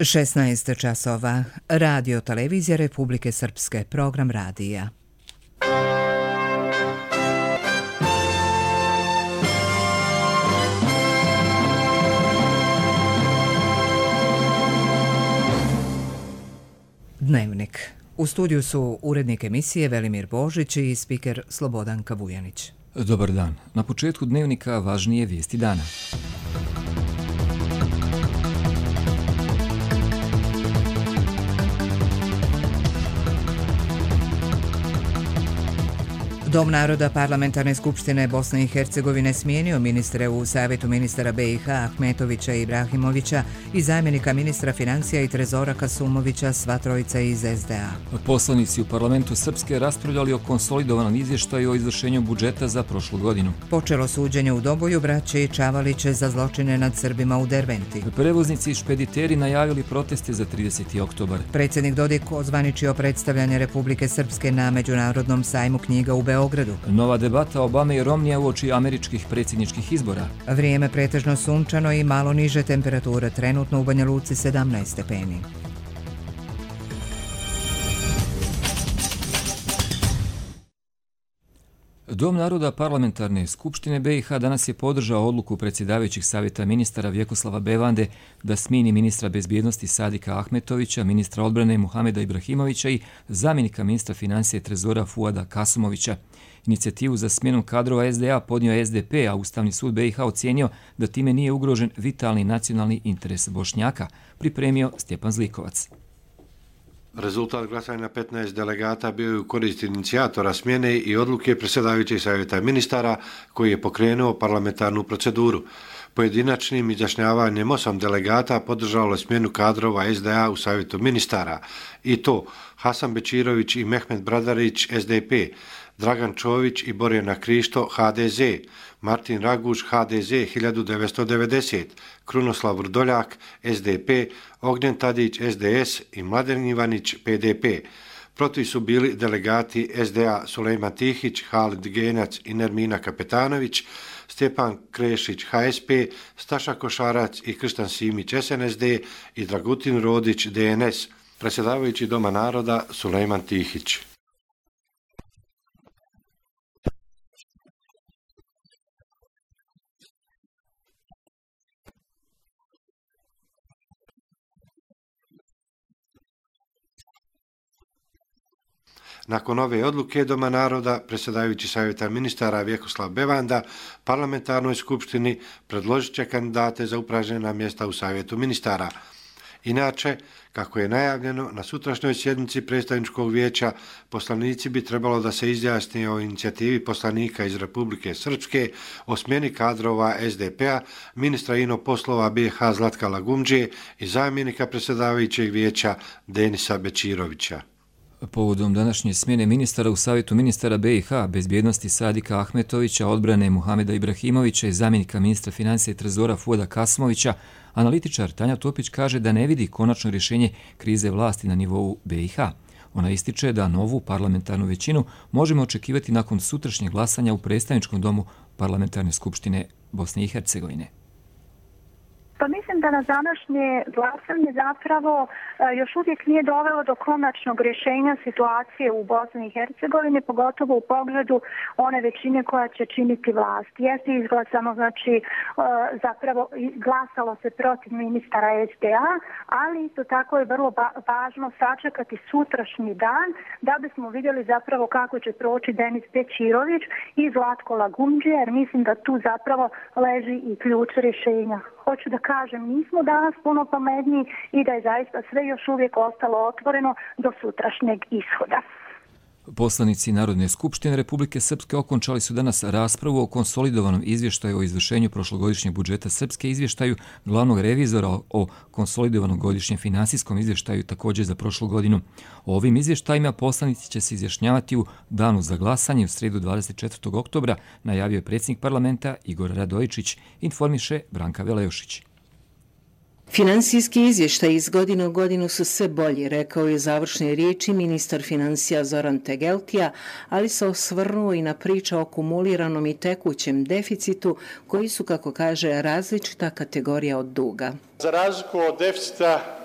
16 časova. Radio Televizija Republike Srpske. Program radija. Dnevnik. U studiju su urednik emisije Velimir Božić i spiker Slobodanka Vujanić. Dobar dan. Na početku dnevnika važnije vijesti dana. Dom naroda Parlamentarne skupštine Bosne i Hercegovine smijenio ministre u Savjetu ministara BiH Ahmetovića i Ibrahimovića i zamjenika ministra financija i trezora Kasumovića, sva trojica iz SDA. Poslanici u parlamentu Srpske raspravljali o konsolidovanom izvještaju o izvršenju budžeta za prošlu godinu. Počelo suđenje u Doboju braće Čavaliće za zločine nad Srbima u Derventi. Prevoznici i špediteri najavili proteste za 30. oktobar. Predsjednik Dodik ozvaničio predstavljanje Republike Srpske na Međunarodnom sajmu knjiga u Beogradu. Nova debata Obame i Romnija uoči američkih predsjedničkih izbora. Vrijeme pretežno sunčano i malo niže temperature, trenutno u Banja Luci 17 stepeni. Dom naroda Parlamentarne skupštine BiH danas je podržao odluku predsjedavajućih savjeta ministara Vjekoslava Bevande da smijeni ministra bezbjednosti Sadika Ahmetovića, ministra odbrane Muhameda Ibrahimovića i zamjenika ministra financija i trezora Fuada Kasumovića. Inicijativu za smjenom kadrova SDA podnio SDP, a Ustavni sud BiH ocijenio da time nije ugrožen vitalni nacionalni interes Bošnjaka, pripremio Stjepan Zlikovac. Rezultat glasanja 15 delegata bio je u korist inicijatora smjene i odluke predsjedavajućeg savjeta ministara koji je pokrenuo parlamentarnu proceduru. Pojedinačnim izjašnjavanjem 8 delegata podržalo je smjenu kadrova SDA u savjetu ministara i to Hasan Bečirović i Mehmet Bradarić SDP, Dragan Čović i Borjana Krišto HDZ, Martin Raguž HDZ 1990, Krunoslav Vrdoljak SDP, Ognjen Tadić SDS i Mladen Ivanić PDP. Protiv su bili delegati SDA Sulejman Tihić, Halid Genac i Nermina Kapetanović, Stjepan Krešić HSP, Staša Košarac i Krštan Simić SNSD i Dragutin Rodić DNS. Predsjedavajući Doma naroda Sulejman Tihić. Nakon ove odluke Doma naroda, predsjedavajući savjeta ministara Vjekoslav Bevanda parlamentarnoj skupštini predložit će kandidate za upražnjena mjesta u savjetu ministara. Inače, kako je najavljeno, na sutrašnjoj sjednici predstavničkog vijeća poslanici bi trebalo da se izjasne o inicijativi poslanika iz Republike Srpske o smjeni kadrova SDP-a, ministra inoposlova BiH Zlatka Lagumdžije i zamjenika predsjedavajućeg vijeća Denisa Bečirovića. Povodom današnje smjene ministara u savjetu ministara BiH, bezbjednosti Sadika Ahmetovića, odbrane Muhameda Ibrahimovića i zamjenika ministra financija i trezora Fuada Kasumovića, analitičar Tanja Topić kaže da ne vidi konačno rješenje krize vlasti na nivou BiH. Ona ističe da novu parlamentarnu većinu možemo očekivati nakon sutrašnjeg glasanja u predstavničkom domu Parlamentarne skupštine Bosne i Hercegovine. Pa mislim da na današnje glasanje zapravo još uvijek nije dovelo do konačnog rješenja situacije u Bosni i Hercegovini, pogotovo u pogledu one većine koja će činiti vlast. Jeste izglasano, znači zapravo glasalo se protiv ministara SDA, ali isto tako je vrlo važno sačekati sutrašnji dan da bismo vidjeli zapravo kako će proći Denis Bečirović i Zlatko Lagumdžija, jer mislim da tu zapravo leži i ključ rješenja. Hoću da kažem, nismo danas puno pametniji i da je zaista sve još uvijek ostalo otvoreno do sutrašnjeg ishoda. Poslanici Narodne skupštine Republike Srpske okončali su danas raspravu o konsolidovanom izvještaju o izvršenju prošlogodišnjeg budžeta Srpske, izvještaju glavnog revizora o konsolidovanom godišnjem finansijskom izvještaju također za prošlu godinu. O ovim izvještajima poslanici će se izjašnjavati u danu za glasanje u srijedu 24. oktobra, najavio je predsjednik parlamenta Igor Radojičić, informiše Branka Velejošić. Finansijski izvještaj iz godine u godinu su sve bolji, rekao je završne riječi ministar financija Zoran Tegeltija, ali se osvrnuo i na priče o kumuliranom i tekućem deficitu, koji su, kako kaže, različita kategorija od duga. Za razliku od deficita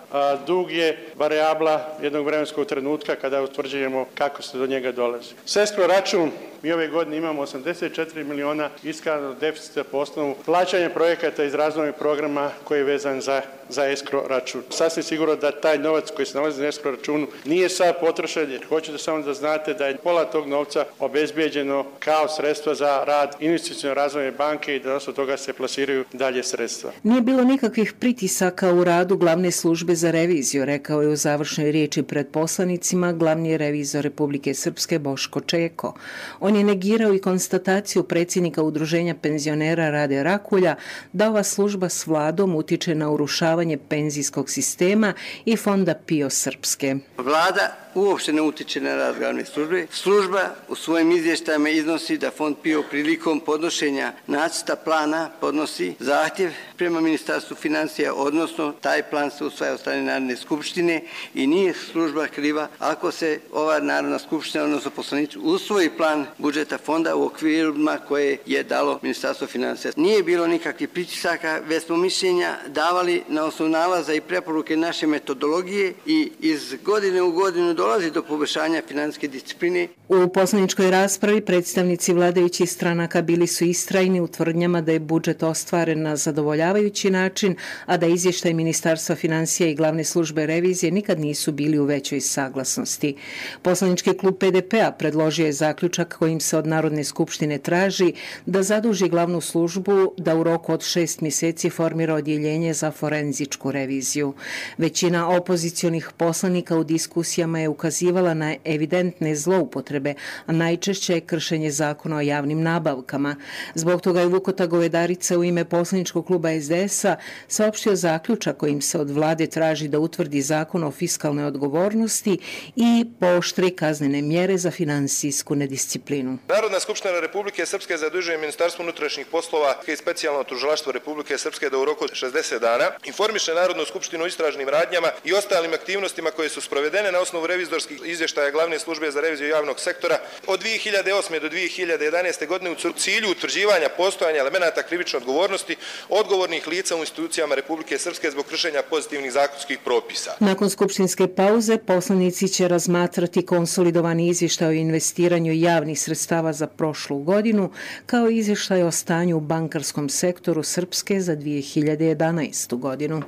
Dug je varijabla jednog vremenskog trenutka kada utvrđujemo kako se do njega dolazi. S escrow račun mi ove godine imamo 84 miliona iskazanog deficita po osnovu plaćanja projekata iz razvojnog programa koji je vezan za escrow račun. Sasvim sigurno da taj novac koji se nalazi na escrow računu nije sad potrošen, jer hoću da samo da znate da je pola tog novca obezbijeđeno kao sredstva za rad investicione razvojne banke i da od toga se plasiraju dalje sredstva. Nije bilo nikakvih pritisaka u radu glavne službe za reviziju, rekao je u završnoj riječi pred poslanicima glavni revizor Republike Srpske Boško Čeko. On je negirao i konstataciju predsjednika Udruženja penzionera Rade Rakulja da ova služba s vladom utiče na urušavanje penzijskog sistema i fonda PIO Srpske. Vlada uopšte ne utiče na rad glavne službe. Služba u svojim izvještajima iznosi da fond PIO prilikom podnošenja nacrta plana podnosi zahtjev prema Ministarstvu financija, odnosno taj plan se usvaja od strane Narodne skupštine i nije služba kriva ako se ova Narodna skupština, odnosno poslanici, usvoji plan budžeta fonda u okvirima koje je dalo Ministarstvo financija. Nije bilo nikakvih pritisaka, već smo mišljenja davali na osnovu nalaza i preporuke naše metodologije i iz godine u godinu dolazi do poboljšanja financijske discipline. U poslaničkoj raspravi predstavnici vladajućih stranaka bili su istrajni u tvrdnjama da je budžet ostvaren na zadovoljavajući način, a da izvještaj Ministarstva financija i glavne službe revizije nikad nisu bili u većoj saglasnosti. Poslanički klub PDP-a predložio je zaključak kojim se od Narodne skupštine traži da zaduži glavnu službu da u roku od 6 mjeseci formira odjeljenje za forenzičku reviziju. Većina opozicionih poslanika u diskusijama je ukazivala na evidentne zloupotrebe, a najčešće je kršenje zakona o javnim nabavkama. Zbog toga je Vukota Govedarica u ime poslaničkog kluba SDS-a saopštio zaključak kojim se od vlade traži da utvrdi zakon o fiskalnoj odgovornosti i pooštri kaznene mjere za finansijsku nedisciplinu. Narodna skupština Republike Srpske zadužuje Ministarstvo unutrašnjih poslova i specijalno tužilaštvo Republike Srpske da u roku od 60 dana informiše Narodnu skupštinu o istražnim radnjama i ostalim aktivnostima koje su sprovedene na osnovu revizorskih izvještaja glavne službe za reviziju javnog sektora od 2008. do 2011. godine u cilju utvrđivanja postojanja elemenata krivične odgovornosti odgovornih lica u institucijama Republike Srpske zbog kršenja pozitivnih zakonskih propisa. Nakon skupštinske pauze poslanici će razmatrati konsolidovani izvještaj o investiranju javnih sredstava za prošlu godinu, kao i izvještaj o stanju u bankarskom sektoru Srpske za 2011. godinu.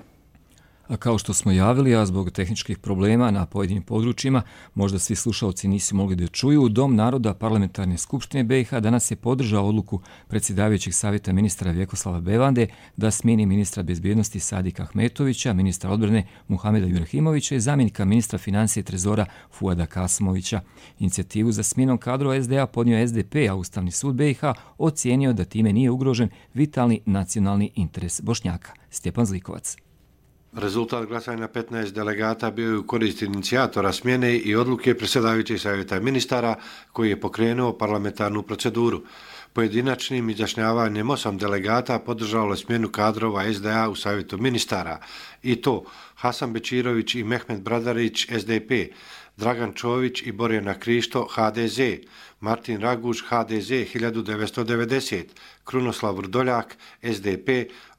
A kao što smo javili, a zbog tehničkih problema na pojedinim područjima, možda svi slušalci nisu mogli da čuju, Dom naroda Parlamentarne skupštine BiH danas je podržao odluku predsjedavajućeg savjeta ministra Vjekoslava Bevande da smijeni ministra bezbjednosti Sadika Ahmetovića, ministra odbrane Muhameda Ibrahimovića i zamjenika ministra financije i trezora Fuada Kasmovića. Inicijativu za smjenom kadrova SDA podnio SDP, a Ustavni sud BiH ocijenio da time nije ugrožen vitalni nacionalni interes Bošnjaka. Stjepan Zlikovac. Rezultat glasanja 15 delegata bio je u korist inicijatora smjene i odluke predsjedavajućeg savjeta ministara koji je pokrenuo parlamentarnu proceduru. Pojedinačnim izjašnjavanjem 8 delegata podržalo je smjenu kadrova SDA u savjetu ministara i to Hasan Bečirović i Mehmet Bradarić SDP, Dragan Čović i Borjana Krišto HDZ, Martin Raguž HDZ 1990, Krunoslav Vrdoljak SDP,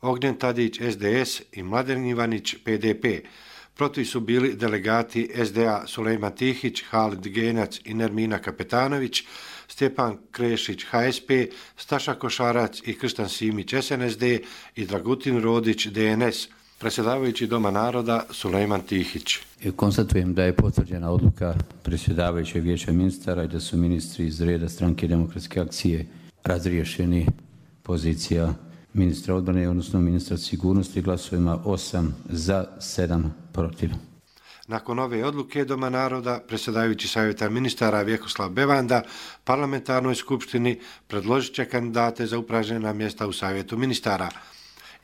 Ognjen Tadić SDS i Mladen Ivanić PDP. Protiv su bili delegati SDA Sulejman Tihić, Halid Genac i Nermina Kapetanović, Stjepan Krešić HSP, Staša Košarac i Krštan Simić SNSD i Dragutin Rodić DNS. Predsjedavajući Doma naroda Sulejman Tihić. Konstatujem da je potvrđena odluka predsjedavajućeg vijeća ministara i da su ministri iz reda Stranke demokratske akcije razriješeni pozicija ministra odbrane, odnosno ministra sigurnosti, glasovima 8 za, 7 protiv. Nakon ove odluke Doma naroda, predsjedavajući savjeta ministara Vjekoslav Bevanda parlamentarnoj skupštini predložit će kandidate za upražnjena mjesta u savjetu ministara.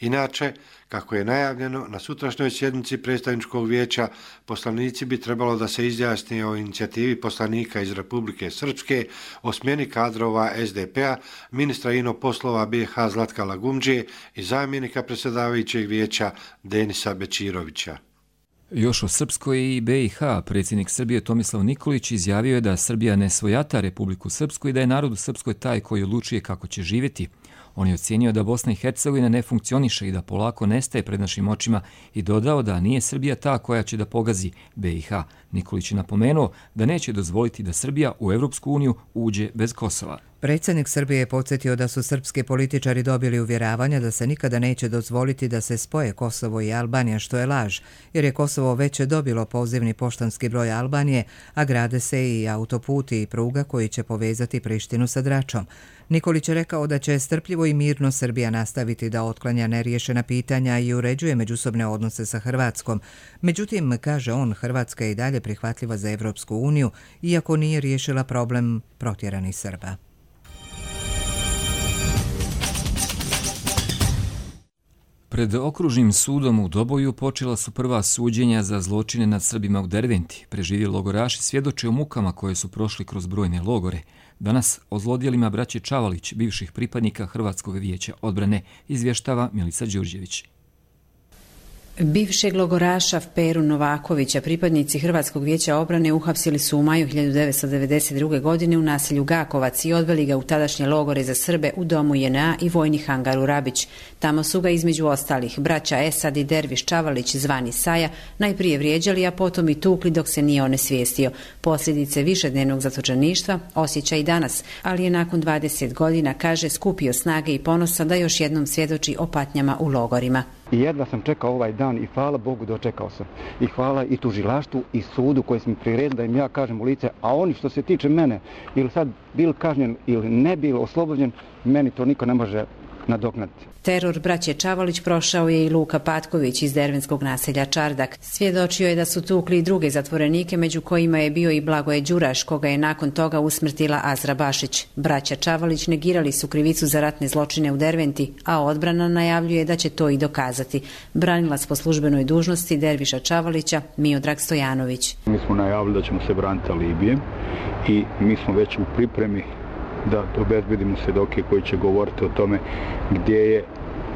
Inače, kako je najavljeno, na sutrašnjoj sjednici predstavničkog vijeća poslanici bi trebalo da se izjasni o inicijativi poslanika iz Republike Srpske o smjeni kadrova SDP-a, ministra ino poslova BiH Zlatka Lagumđije i zamjenika predsjedavajućeg vijeća Denisa Bečirovića. Još o Srpskoj i BiH, predsjednik Srbije Tomislav Nikolić izjavio je da Srbija ne svojata Republiku Srpsku i da je narod u Srpskoj taj koji odlučuje kako će živjeti. On je ocijenio da Bosna i Hercegovina ne funkcioniše i da polako nestaje pred našim očima i dodao da nije Srbija ta koja će da pogazi BiH. Nikolić je napomenuo da neće dozvoliti da Srbija u Evropsku uniju uđe bez Kosova. Predsjednik Srbije je podsjetio da su srpski političari dobili uvjeravanja da se nikada neće dozvoliti da se spoje Kosovo i Albanija, što je laž, jer je Kosovo već dobilo pozivni poštanski broj Albanije, a grade se i autoputi i pruga koji će povezati Prištinu sa Dračom. Nikolić je rekao da će strpljivo i mirno Srbija nastaviti da otklanja neriješena pitanja i uređuje međusobne odnose sa Hrvatskom. Međutim, kaže on, Hrvatska je i dalje prihvatljiva za Evropsku uniju, iako nije riješila problem protjeranih Srba. Pred okružnim sudom u Doboju počela su prva suđenja za zločine nad Srbima u Derventi. Preživjeli logoraši svjedoče o mukama koje su prošli kroz brojne logore. Danas o zlodjelima braće Čavalić, bivših pripadnika Hrvatskog vijeća odbrane, izvještava Milica Đurđević. Bivšeg logoraša Peru Novakovića pripadnici Hrvatskog vijeća obrane uhapsili su u maju 1992. godine u naselju Gakovac i odveli ga u tadašnje logore za Srbe u domu JNA i vojni hangar u Rabić. Tamo su ga između ostalih braća Esad i Derviš Čavalić zvani Saja najprije vrijeđali, a potom i tukli dok se nije onesvijestio. Posljedice višednevnog zatočeništva osjeća i danas, ali je nakon 20 godina, kaže, skupio snage i ponosa da još jednom svjedoči o patnjama u logorima. I jedva sam čekao ovaj dan i hvala Bogu dočekao sam. I hvala i tužilaštvu i sudu koji sam priredili da im ja kažem u lice, a oni što se tiče mene, ili sad bil kažnjen ili ne bil oslobođen, meni to niko ne može nadoknaditi. Teror braće Čavalić prošao je i Luka Patković iz dervenskog naselja Čardak. Svjedočio je da su tukli i druge zatvorenike, među kojima je bio i Blagoje Đuraš, koga je nakon toga usmrtila Azra Bašić. Braća Čavalić negirali su krivicu za ratne zločine u Derventi, a odbrana najavljuje da će to i dokazati. Branilac po službenoj dužnosti Derviša Čavalića, Miodrag Stojanović. Mi smo najavili da ćemo se braniti Libije i mi smo već u pripremi da obezbedimo svjedoke koji će govoriti o tome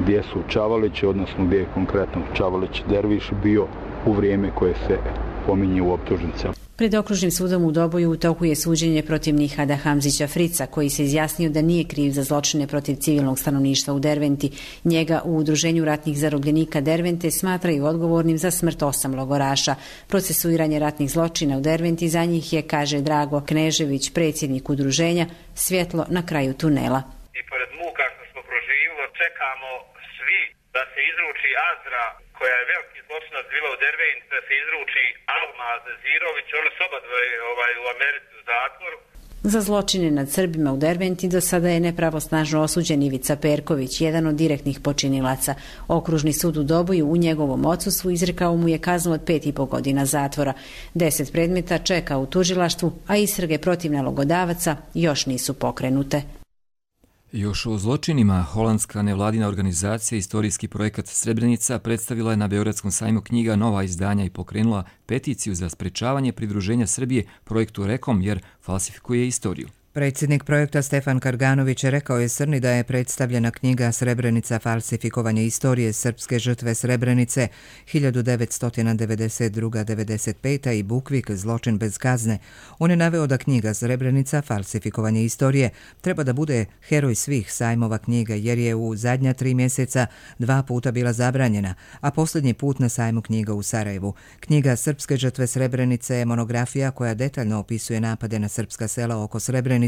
gdje su Čavalići, odnosno gdje je konkretno Čavalić Derviš bio u vrijeme koje se pominje u optužnicama. Pred okružnim sudom u Doboju u toku je suđenje protiv Nihada Hamzića Frica, koji se izjasnio da nije kriv za zločine protiv civilnog stanovništva u Derventi. Njega u Udruženju ratnih zarobljenika Dervente smatraju odgovornim za smrt 8 logoraša. Procesuiranje ratnih zločina u Derventi za njih je, kaže Drago Knežević, predsjednik udruženja, svjetlo na kraju tunela. I pored muka što smo proživjeli, čekamo svi da se izruči Azra, koja je veliki zločinac bila u Derventi, da se izruči Almaz Zirović, ona su oba u Americi u zatvoru. Za zločine nad Srbima u Derventi do sada je nepravosnažno osuđen Ivica Perković, jedan od direktnih počinilaca. Okružni sud u Doboju u njegovom odsustvu izrekao mu je kaznu od 5,5 godina zatvora. 10 predmeta čeka u tužilaštvu, a istrage protiv nalogodavaca još nisu pokrenute. Još o zločinima, holandska nevladina organizacija Istorijski projekat Srebrenica predstavila je na Beogradskom sajmu knjiga nova izdanja i pokrenula peticiju za sprečavanje pridruženja Srbije projektu Rekom jer falsifikuje istoriju. Predsjednik projekta Stefan Karganović rekao je Srni da je predstavljena knjiga Srebrenica falsifikovanje istorije srpske žrtve Srebrenice 1992-95 i Bukvik zločin bez kazne. On je naveo da knjiga Srebrenica falsifikovanje istorije treba da bude heroj svih sajmova knjiga jer je u zadnja 3 mjeseca 2 puta bila zabranjena, a posljednji put na sajmu knjiga u Sarajevu. Knjiga Srpske žrtve Srebrenice je monografija koja detaljno opisuje napade na srpska sela oko Srebrenice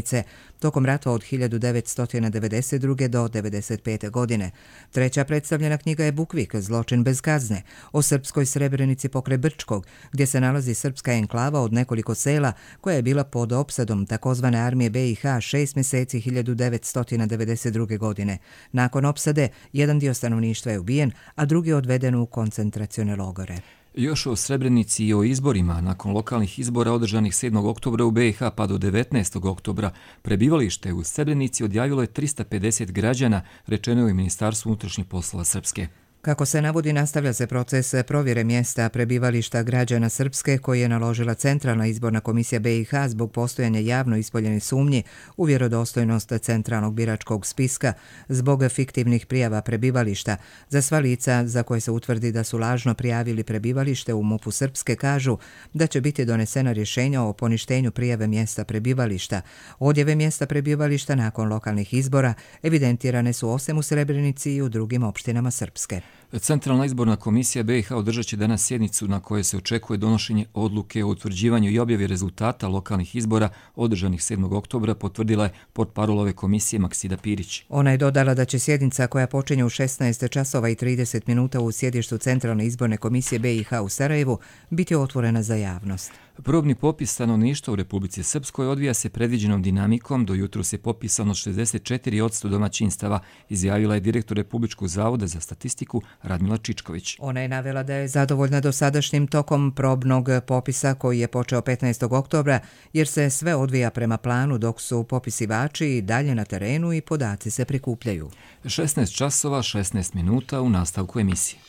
tokom rata od 1992. do 1995. godine. Treća predstavljena knjiga je Bukvik, zločin bez kazne, o srpskoj Srebrenici pokraj Brčkog, gdje se nalazi srpska enklava od nekoliko sela koja je bila pod opsadom takozvane armije BiH 6 mjeseci 1992. godine. Nakon opsade, jedan dio stanovništva je ubijen, a drugi odveden u koncentracione logore. Još o Srebrenici i o izborima. Nakon lokalnih izbora održanih 7. oktobra u BiH pa do 19. oktobra prebivalište u Srebrenici odjavilo je 350 građana, rečeno je u Ministarstvu unutrašnjih poslova Srpske. Kako se navodi, nastavlja se proces provjere mjesta prebivališta građana Srpske koji je naložila Centralna izborna komisija BiH zbog postojanja javno ispoljene sumnji u vjerodostojnost centralnog biračkog spiska zbog fiktivnih prijava prebivališta. Za sva lica za koje se utvrdi da su lažno prijavili prebivalište u MUP-u Srpske kažu da će biti donesena rješenja o poništenju prijave mjesta prebivališta. Odjave mjesta prebivališta nakon lokalnih izbora evidentirane su osim u Srebrenici i u drugim opštinama Srpske. Centralna izborna komisija BiH održat će danas sjednicu na kojoj se očekuje donošenje odluke o utvrđivanju i objavi rezultata lokalnih izbora održanih 7. oktobra, potvrdila je portparol ove komisije Maksida Pirić. Ona je dodala da će sjednica koja počinje u 16 časova i 30 minuta u sjedištu Centralne izborne komisije BiH u Sarajevu biti otvorena za javnost. Probni popis stanovništva u Republici Srpskoj odvija se predviđenom dinamikom. Do jutros je popisano 64% domaćinstava, izjavila je direktor Republičkog zavoda za statistiku Radmila Čičković. Ona je navela da je zadovoljna dosadašnjim tokom probnog popisa koji je počeo 15. oktobra jer se sve odvija prema planu dok su popisivači i dalje na terenu i podaci se prikupljaju. 16 časova, 16 minuta u nastavku emisije.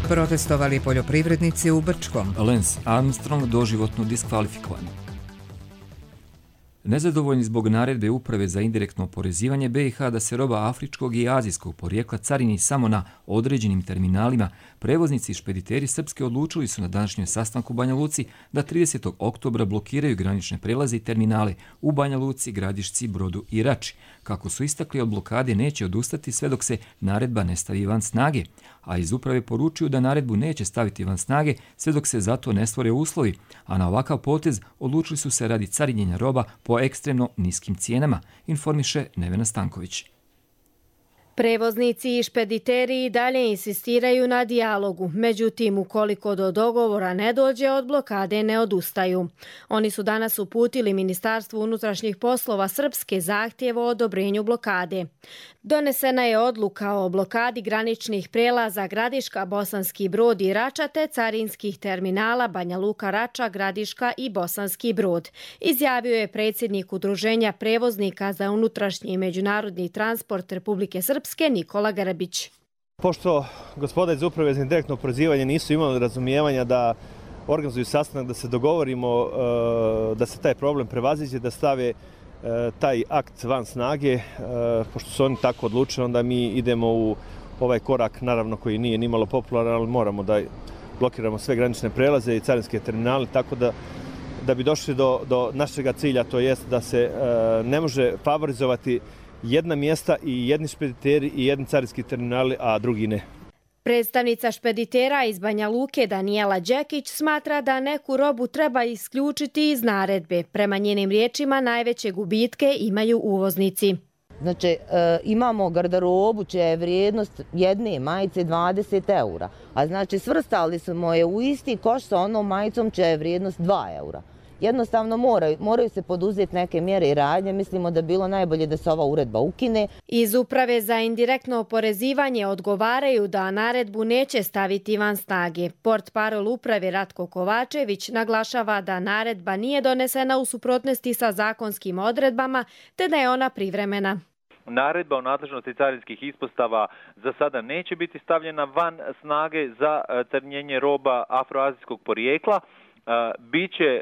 Protestovali poljoprivrednici u Brčkom. Lance Armstrong doživotno diskvalifikovan. Nezadovoljni zbog naredbe Uprave za indirektno oporezivanje BiH da se roba afričkog i azijskog porijekla carini samo na određenim terminalima, prevoznici i špediteri Srpske odlučili su na današnjem sastanku u Banja Luci da 30. oktobra blokiraju granične prelaze i terminale u Banja Luci, Gradišci, Brodu i Rači. Kako su istakli, od blokade neće odustati sve dok se naredba ne stavi van snage, a iz uprave poručuju da naredbu neće staviti van snage sve dok se za to ne stvore uslovi, a na ovakav potez odlučili su se radi carinjenja roba po ekstremno niskim cijenama, informiše Nevena Stanković. Prevoznici i špediteri i dalje insistiraju na dijalogu, međutim, ukoliko do dogovora ne dođe, od blokade ne odustaju. Oni su danas uputili Ministarstvu unutrašnjih poslova Srpske zahtjev o odobrenju blokade. Donesena je odluka o blokadi graničnih prelaza Gradiška, Bosanski Brod i Rača te carinskih terminala Banja Luka, Rača, Gradiška i Bosanski Brod, izjavio je predsjednik Udruženja prevoznika za unutrašnji i međunarodni transport Republike Srpske Nikola Grbić. Pošto gospoda iz Uprave za indirektno oporezivanje nisu imali razumijevanja da organizuju sastanak, da se dogovorimo, da se taj problem prevaziđe, da stave taj akt van snage, pošto su oni tako odlučili, onda mi idemo u ovaj korak, naravno koji nije nimalo popularan, ali moramo da blokiramo sve granične prelaze i carinske terminale, tako da bi došli do našega cilja, to jest da se ne može favorizovati jedna mjesta i jedni špediteri i jedni carinski terminali, a drugi ne. Predstavnica špeditera iz Banja Luke Danijela Đekić smatra da neku robu treba isključiti iz naredbe. Prema njenim riječima najveće gubitke imaju uvoznici. Znači, imamo garderobu čija je vrijednost jedne majice 20 eura, a znači svrstali smo je u isti koš sa onom majicom čija je vrijednost 2 eura. Jednostavno moraju se poduzeti neke mjere i radnje. Mislimo da bi bilo najbolje da se ova uredba ukine. Iz Uprave za indirektno oporezivanje odgovaraju da naredbu neće staviti van snage. Portparol uprave Ratko Kovačević naglašava da naredba nije donesena u suprotnosti sa zakonskim odredbama, te da je ona privremena. Naredba o nadležnosti carinskih ispostava za sada neće biti stavljena van snage za carinjenje roba afroazijskog porijekla. Biće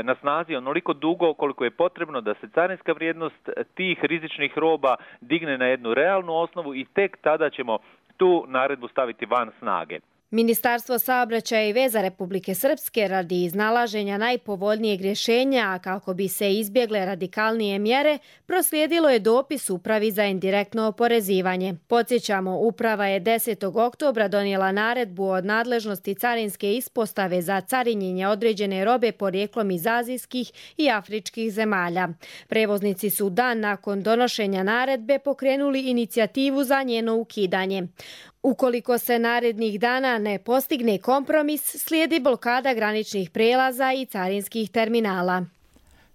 na snazi onoliko dugo koliko je potrebno da se carinska vrijednost tih rizičnih roba digne na jednu realnu osnovu i tek tada ćemo tu naredbu staviti van snage. Ministarstvo saobraćaja i veza Republike Srpske radi iznalaženja najpovoljnijeg rješenja, a kako bi se izbjegle radikalnije mjere, proslijedilo je dopis Upravi za indirektno oporezivanje. Podsjećamo, Uprava je 10. oktobra donijela naredbu od nadležnosti carinske ispostave za carinjenje određene robe porijeklom iz azijskih i afričkih zemalja. Prevoznici su dan nakon donošenja naredbe pokrenuli inicijativu za njeno ukidanje. Ukoliko se narednih dana ne postigne kompromis, slijedi blokada graničnih prelaza i carinskih terminala.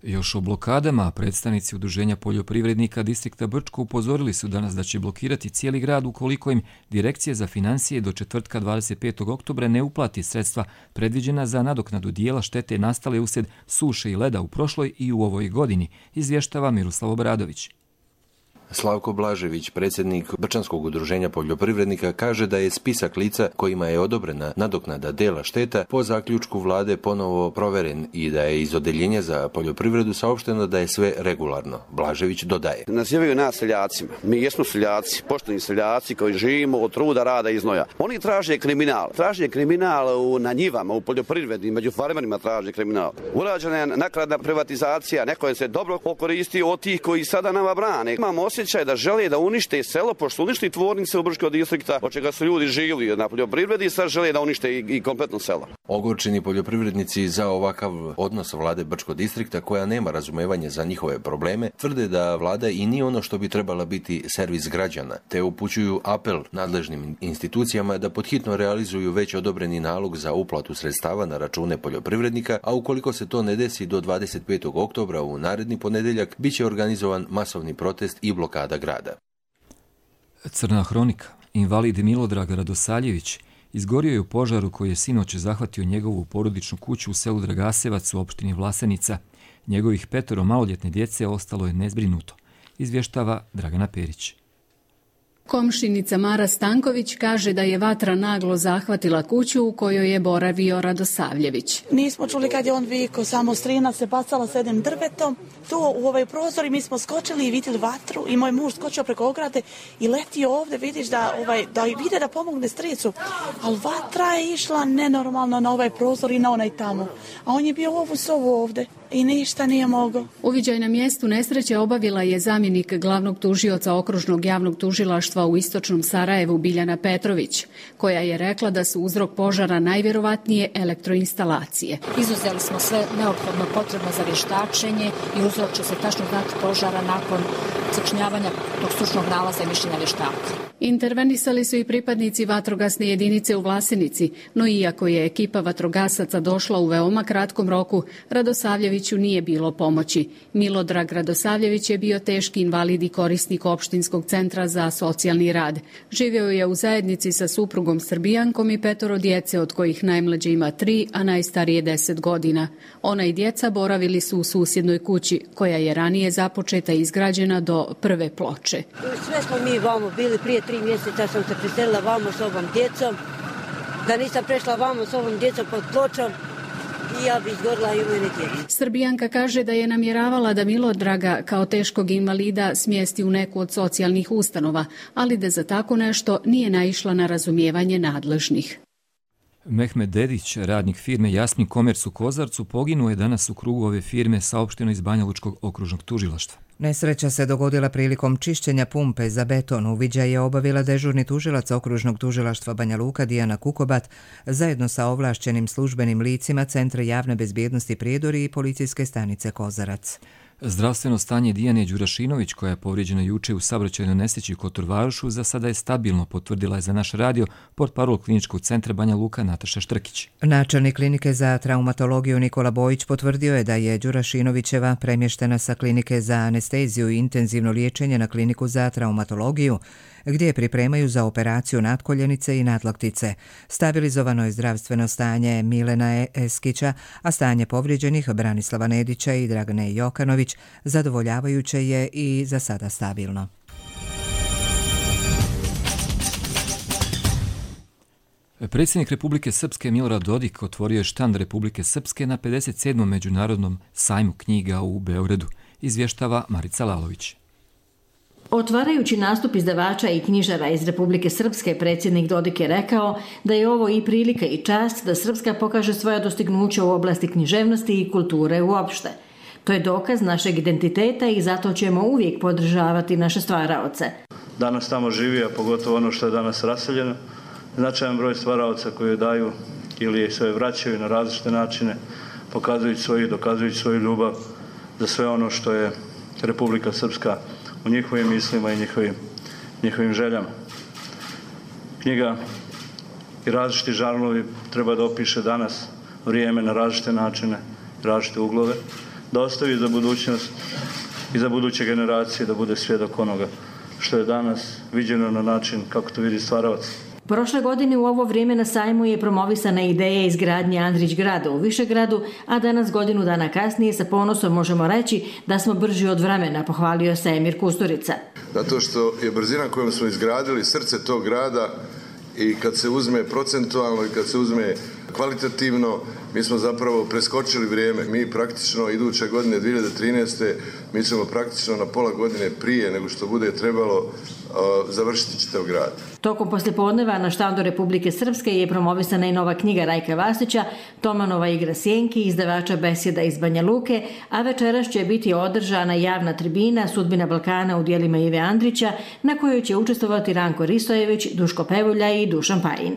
Još o blokadama, predstavnici Udruženja poljoprivrednika distrikta Brčko upozorili su danas da će blokirati cijeli grad ukoliko im Direkcija za financije do četvrtka 25. oktobra ne uplati sredstva predviđena za nadoknadu dijela štete nastale uslijed suše i leda u prošloj i u ovoj godini, izvještava Miroslav Obradović. Slavko Blažević, predsjednik Brčanskog udruženja poljoprivrednika, kaže da je spisak lica kojima je odobrena nadoknada dela šteta po zaključku vlade ponovo proveren i da je iz odeljenja za poljoprivredu saopšteno da je sve regularno. Blažević dodaje. Nazivaju nas seljacima. Mi jesmo seljaci, pošteni seljaci koji živimo od truda, rada i znoja. Oni traže kriminal. Traže kriminal na njivama, u poljoprivredi, među farmerima traže kriminal. Urađena je nakladna privatizacija, neko je se dobro okoristio od tih koji sada nama brane. Imamo osjećaj da žele da unište selo, pošto uništi tvornice u Brčkom distrikta, od čega su ljudi živjeli na poljoprivredi, sad žele da unište i kompletno selo. Ogorčeni poljoprivrednici za ovakav odnos vlade Brčkog distrikta, koja nema razumevanje za njihove probleme, tvrde da vlada i nije ono što bi trebala biti servis građana, te upućuju apel nadležnim institucijama da podhitno realizuju već odobreni nalog za uplatu sredstava na račune poljoprivrednika, a ukoliko se to ne desi do 25. oktobra u naredni ponedjeljak, bit će organizovan masovni protest i blokada grada. Crna hronika. Invalid Milodrag Radosavljević izgorio je u požaru koji je sinoć zahvatio njegovu porodičnu kuću u selu Dragasevac u opštini Vlasenica. Njegovih 5 maloljetne djece ostalo je nezbrinuto, izvještava Dragana Perić. Komšinica Mara Stanković kaže da je vatra naglo zahvatila kuću u kojoj je boravio Radosavljević. Nismo čuli kad je on vikao, samo strina se bacala s jednim drvetom. Tu u ovaj prozor i mi smo skočili i vidjeli vatru i moj muž skočio preko ograde i letio ovdje, vidiš da vide da pomogne stricu. Ali vatra je išla nenormalno na ovaj prozor i na onaj tamo. A on je bio ovu sobu ovdje i ništa nije mogao. Uviđaj na mjestu nesreće obavila je zamjenik glavnog tužioca okružnog javnog tužilaštva u istočnom Sarajevu Biljana Petrović, koja je rekla da su uzrok požara najvjerovatnije elektroinstalacije. Izuzeli smo sve neophodno potrebno za vještačenje i uzrok će se tačno znati požara nakon sačinjavanja tog stručnog nalaza i mišljenja vještaka. Intervenisali su i pripadnici vatrogasne jedinice u Vlasenici, no iako je ekipa vatrogasaca došla u veoma kratkom roku, Radosavljeviću nije bilo pomoći. Milodrag Radosavljević je bio teški invalid i korisnik opštinskog centra za socijalni rad. Živio je u zajednici sa suprugom Srbijankom i 5 djece, od kojih najmlađe ima 3, a najstarije 10 godina. Ona i djeca boravili su u susjednoj kući, koja je ranije započeta i izgrađena do prve ploče. Sve smo mi vamo bili prije 3 mjeseca, sam se preselila vamo s ovom djecom. Da nisam prešla vamo s ovom djecom pod pločom, i ja bi izgorila i u mene djece. Srbijanka kaže da je namjeravala da Milodraga kao teškog invalida smjesti u neku od socijalnih ustanova, ali da za tako nešto nije naišla na razumijevanje nadležnih. Mehmed Dedić, radnik firme Jasmin Commerce u Kozarcu, poginuo je danas u krugu ove firme, saopšteno iz Banja Lučkog okružnog tužilaštva. Nesreća se dogodila prilikom čišćenja pumpe za beton. Uviđaj je obavila dežurni tužilac okružnog tužilaštva Banja Luka Dijana Kukobat zajedno sa ovlašćenim službenim licima Centra javne bezbjednosti Prijedori i policijske stanice Kozarac. Zdravstveno stanje Dijane Đurašinović, koja je povrijeđena juče u saobraćajnoj nesreći u Kotorvarošu, za sada je stabilno, potvrdila je za naš radio portparol Kliničkog centra Banja Luka Nataša Štrkić. Načelnik klinike za traumatologiju Nikola Bojić potvrdio je da je Đurašinovićeva premještena sa klinike za anesteziju i intenzivno liječenje na kliniku za traumatologiju, gdje je pripremaju za operaciju natkoljenice i nadlaktice. Stabilizovano je zdravstveno stanje Milena Eskića, a stanje povrijeđenih Branislava Nedića i Dragane Jokanović zadovoljavajuće je i za sada stabilno. Predsjednik Republike Srpske Milorad Dodik otvorio je štand Republike Srpske na 57. međunarodnom sajmu knjiga u Beogradu, izvještava Marica Lalović. Otvarajući nastup izdavača i knjižara iz Republike Srpske, predsjednik Dodik je rekao da je ovo i prilika i čast da Srpska pokaže svoja dostignuća u oblasti književnosti i kulture uopšte. To je dokaz našeg identiteta i zato ćemo uvijek podržavati naše stvaraoce. Danas tamo živi, a pogotovo ono što je danas raseljeno, značajan broj stvaraoca koji daju ili se vraćaju na različite načine, dokazujući svoju ljubav za sve ono što je Republika Srpska u njihovim mislima i njihovim željama. Knjiga i različiti žanrovi treba da opiše danas vrijeme na različite načine, različite uglove. da ostavi za budućnost i za buduće generacije da bude svjedok onoga što je danas viđeno na način kako to vidi stvaralac. Prošle godine u ovo vrijeme na sajmu je promovisana ideja izgradnje Andrić grada u Višegradu, a danas godinu dana kasnije sa ponosom možemo reći da smo brži od vremena, pohvalio se Emir Kusturica. Zato što je brzina kojom smo izgradili srce tog grada i kad se uzme procentualno i kad se uzme kvalitativno, mi smo zapravo preskočili vrijeme. Mi praktično iduće godine 2013. mi ćemo praktično na pola godine prije nego što bude trebalo završiti čitav grad. Tokom poslijepodneva na štandu Republike Srpske je promovisana i nova knjiga Rajka Vasića, Tomanova igra sjenki, izdavača Besjeda iz Banja Luke, a večeras će biti održana javna tribina Sudbina Balkana u djelima Ive Andrića, na kojoj će učestvovati Ranko Ristojević, Duško Pevulja i Dušan Pajin.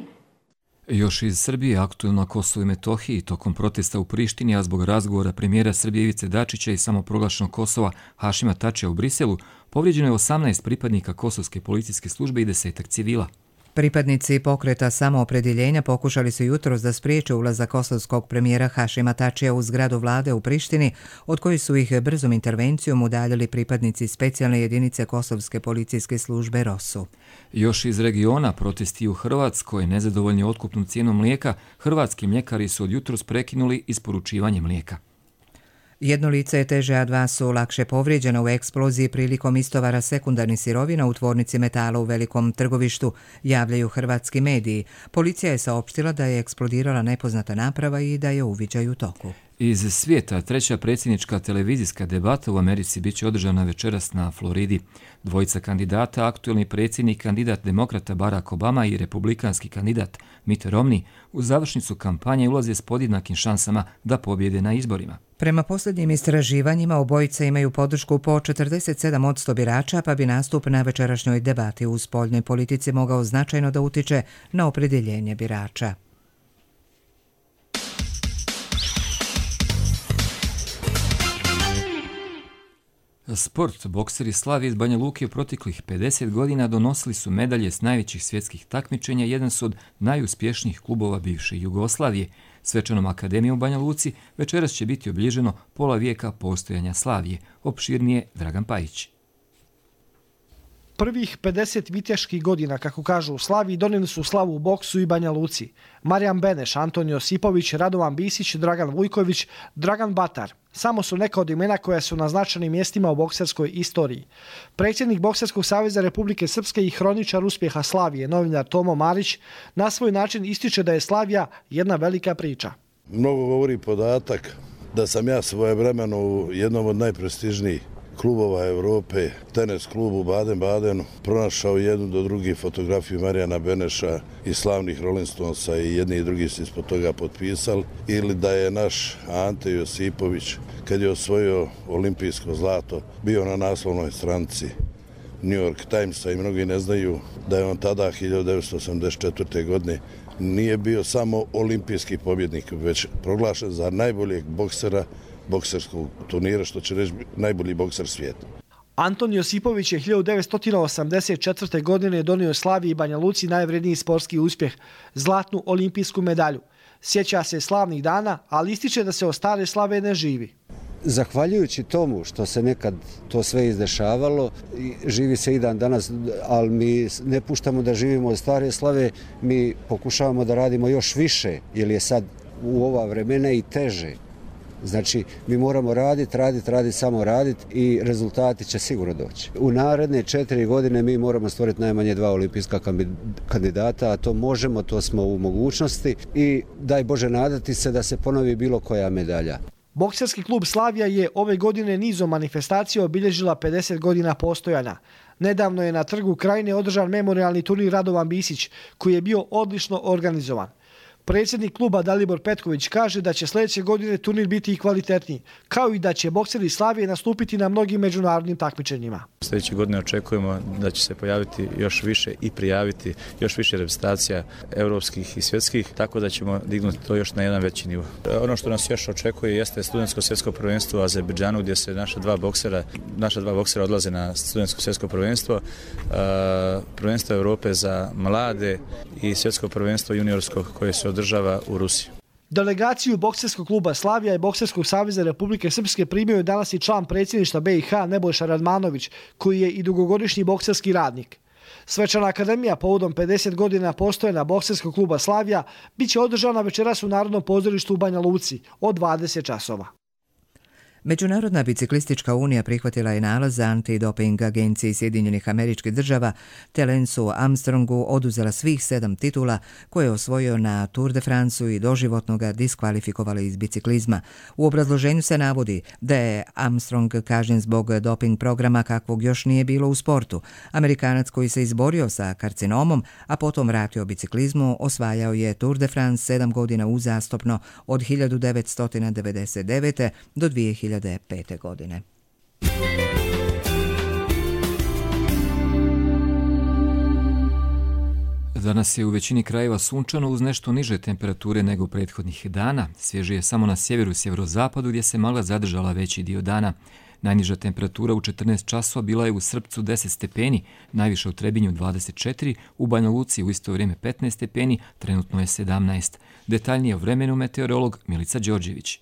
Još iz Srbije, aktuelno na Kosovu i Metohiji, tokom protesta u Prištini, a zbog razgovora premijera Srbije Ivice Dačića i samoproglašenog Kosova Hašima Tačija u Briselu, povrijeđeno je 18 pripadnika kosovske policijske službe i 10 civila. Pripadnici pokreta samoopredjeljenja pokušali su jutros da spriječe ulazak kosovskog premijera Hašima Tačija u zgradu vlade u Prištini, od kojih su ih brzom intervencijom udaljili pripadnici specijalne jedinice kosovske policijske službe ROSU. Još iz regiona, protesti u Hrvatskoj, nezadovoljni otkupnom cijenom mlijeka, hrvatski mljekari su od jutros prekinuli isporučivanje mlijeka. Jedno lice je teže, a dva su lakše povrijeđena u eksploziji prilikom istovara sekundarnih sirovina u tvornici metala u Velikom Trgovištu, javljaju hrvatski mediji. Policija je saopštila da je eksplodirala nepoznata naprava i da je uviđaj u toku. Iz svijeta, treća predsjednička televizijska debata u Americi biće održana večeras na Floridi. Dvojica kandidata, aktuelni predsjednik, kandidat demokrata Barack Obama i republikanski kandidat Mitt Romney, u završnicu kampanje ulaze s podjednakim šansama da pobjede na izborima. Prema posljednjim istraživanjima, obojica imaju podršku po 47% birača, pa bi nastup na večerašnjoj debati u spoljnoj politici mogao značajno da utiče na opredjeljenje birača. Sport. Bokseri Slavije iz Banja Luke u proteklih 50 godina donosili su medalje s najvećih svjetskih takmičenja, jedan su od najuspješnijih klubova bivše Jugoslavije. Svečanom akademijom u Banja Luci večeras će biti obilježeno pola vijeka postojanja Slavije. Opširnije Dragan Pajić. Prvih 50 viteških godina, kako kažu u Slaviji, donijeli su slavu u boksu i Banja Luci. Marijan Beneš, Anton Josipović, Radovan Bisić, Dragan Vujković, Dragan Batar. Samo su neka od imena koja su na značajnim mjestima u bokserskoj istoriji. Predsjednik Bokserskog saveza Republike Srpske i hroničar uspjeha Slavije, novinar Tomo Marić, na svoj način ističe da je Slavija jedna velika priča. Mnogo govori podatak da sam ja svojevremeno u jednom od najprestižnijih klubova Evrope, tenis klubu u Baden-Badenu, pronašao jednu do drugi fotografiju Marijana Beneša i slavnih Rolling Stonesa i jedni i drugi su ispod toga potpisali, ili da je naš Ante Josipović, kad je osvojio olimpijsko zlato, bio na naslovnoj stranici New York Timesa i mnogi ne znaju da je on tada 1984. godine nije bio samo olimpijski pobjednik, već proglašen za najboljeg boksera bokserskog turnira, što će reći najbolji bokser svijeta. Anton Josipović je 1984. godine donio Slaviji i Banja Luci najvredniji sportski uspjeh, zlatnu olimpijsku medalju. Sjeća se slavnih dana, ali ističe da se o stare slave ne živi. Zahvaljujući tomu što se nekad to sve izdešavalo, živi se i dan danas, ali mi ne puštamo da živimo od stare slave, mi pokušavamo da radimo još više, jer je sad u ova vremena i teže. Znači, mi moramo raditi, samo raditi i rezultati će sigurno doći. U naredne 4 godine mi moramo stvoriti najmanje 2 olimpijska kandidata, a to možemo, to smo u mogućnosti i daj Bože nadati se da se ponovi bilo koja medalja. Bokserski klub Slavija je ove godine nizom manifestacija obilježila 50 godina postojanja. Nedavno je na Trgu Krajine održan memorijalni turnir Radovan Bisić, koji je bio odlično organizovan. Predsjednik kluba Dalibor Petković kaže da će sljedeće godine turnir biti i kvalitetniji, kao i da će bokseri Slavije nastupiti na mnogim međunarodnim takmičenjima. Sljedeće godine očekujemo da će se pojaviti još više i prijaviti još više reprezentacija europskih i svjetskih, tako da ćemo dignuti to još na jedan veći nivo. Ono što nas još očekuje jeste studentsko svjetsko prvenstvo u Azerbejdžanu, gdje se naša dva boksera odlaze na studentsko svjetsko prvenstvo, prvenstvo Europe za mlade i svjetsko prvenstvo juniorsko koje se održava u Rusiji. Delegaciju Bokserskog kluba Slavija i Bokserskog saveza Republike Srpske primio je danas i član predsjedništva BiH Nebojša Radmanović, koji je i dugogodišnji bokserski radnik. Svečana akademija povodom 50 godina postojanja Bokserskog kluba Slavija biće održana večeras u Narodnom pozorištu u Banja Luci od 20 časova. Međunarodna biciklistička unija prihvatila je nalaz za antidoping agenciji Sjedinjenih Američkih Država te Lensu Armstrongu oduzela svih 7 titula koje je osvojio na Tour de Franceu i doživotno ga diskvalifikovali iz biciklizma. U obrazloženju se navodi da je Armstrong kažnjen zbog doping programa kakvog još nije bilo u sportu. Amerikanac koji se izborio sa karcinomom, a potom vratio biciklizmu, osvajao je Tour de France 7 godina uzastopno od 1999. do 2005. godine. Danas je u većini krajeva sunčano uz nešto niže temperature nego prethodnih dana. Svježije samo na sjeveru i sjeverozapadu gdje se magla zadržala veći dio dana. Najniža temperatura u 14 časova bila je u Srpcu 10 stepeni, najviše u Trebinju 24, u Banja Luci u isto vrijeme 15 stepeni, trenutno je 17. Detaljnije o vremenu meteorolog Milica Đorđević.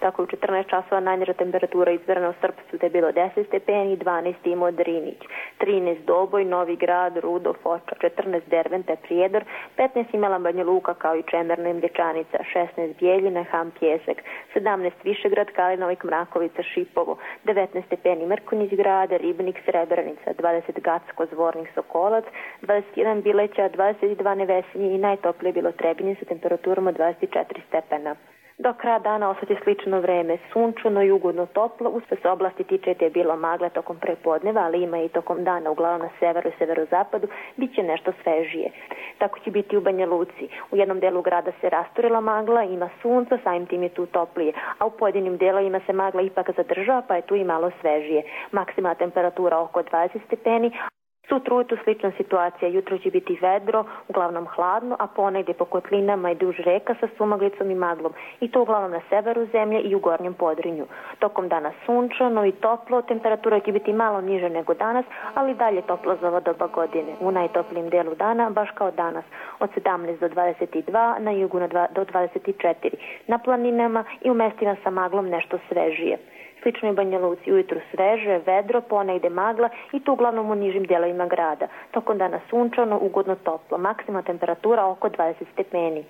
Tako u 14 časova najniža temperatura izmjerena u Srpcu da je bilo 10 stepeni, 12 Imao Drinić, 13 Doboj, Novi Grad, Rudo, Foča, 14 Derventa, Prijedor, 15 imala Banja Luka kao i Čemerno i Mlječanica, 16 Bijeljina, Ham, Pjesak, 17 Višegrad, Kalinovik, Mrakovica, Šipovo, 19 stepeni Mrkonjić grada, Ribnik, Srebrenica, 20 Gacko, Zvornik, Sokolac, 21 Bileća, 22 Nevesinje i najtoplije bilo Trebinje sa temperaturom od 24 stepena. Do kraja dana ostati slično vreme, sunčano i ugodno toplo. U sve se oblasti tiče te je bilo magla tokom prepodneva, ali ima i tokom dana, uglavnom na severu i severozapadu, bit će nešto svežije. Tako će biti u Banja Luci. U jednom delu grada se rasturila magla, ima sunca, samim tim je tu toplije, a u pojedinim delovima se magla ipak zadržava, pa je tu i malo svežije. Maksimalna temperatura oko 20 stepeni. Sutra ujutro slična situacija, jutro će biti vedro, uglavnom hladno, a ponegdje po kotlinama i duž reka sa sumaglicom i maglom, i to uglavnom na severu zemlje i u gornjem Podrinju. Tokom dana sunčano i toplo, temperatura će biti malo niže nego danas, ali dalje toplo za ovo doba godine. U najtoplijim delu dana, baš kao danas, od 17 do 22, na jugu do 24, na planinama i u mestima sa maglom nešto svežije. Slično je Banja Luci, ujutru sveže, vedro, ponegde magla i to uglavnom u nižim dijelovima grada. Tokom dana sunčano, ugodno toplo, maksimalna temperatura oko 20 stepeni.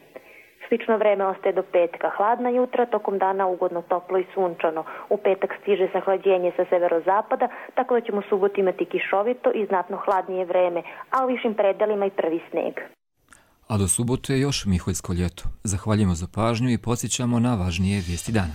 Slično vreme ostaje do petka, hladna jutra, tokom dana ugodno toplo i sunčano. U petak stiže sahlađenje sa severozapada, tako da ćemo u subotu imati kišovito i znatno hladnije vreme, a u višim predelima i prvi sneg. A do subote je još Miholjsko ljeto. Zahvaljujemo za pažnju i podsjećamo na važnije vijesti dana.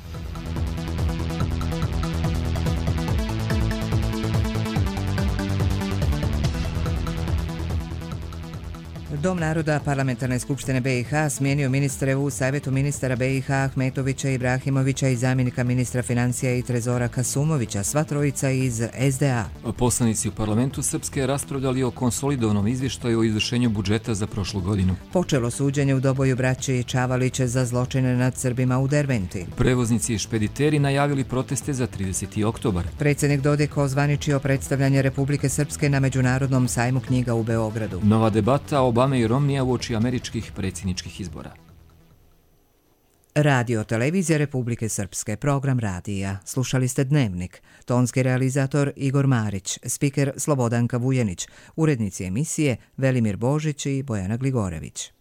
Dom naroda Parlamentarne skupštine BiH smijenio ministre u Savjetu ministara BiH Ahmetovića, Ibrahimovića i zamjenika ministra financija i Trezora Kasumovića, sva trojica iz SDA. Poslanici u parlamentu Srpske raspravljali o konsolidovanom izvještaju o izvršenju budžeta za prošlu godinu. Počelo suđenje u Doboju braće Čavaliće za zločine nad Srbima u Derventi. Prevoznici i špediteri najavili proteste za 30. oktobar. Predsjednik Dodik ozvaničio predstavljanje Republike Srpske na Međunarodnom sajmu knjiga u Beogradu. Nova debata Obame i Romnija uoči američkih predsjedničkih izbora. Radio televizija Republike Srpske, program radija. Slušali ste Dnevnik. Tonski realizator Igor Marić, spiker Slobodanka Vujenić, urednici emisije Velimir Božić i Bojana Gligorević.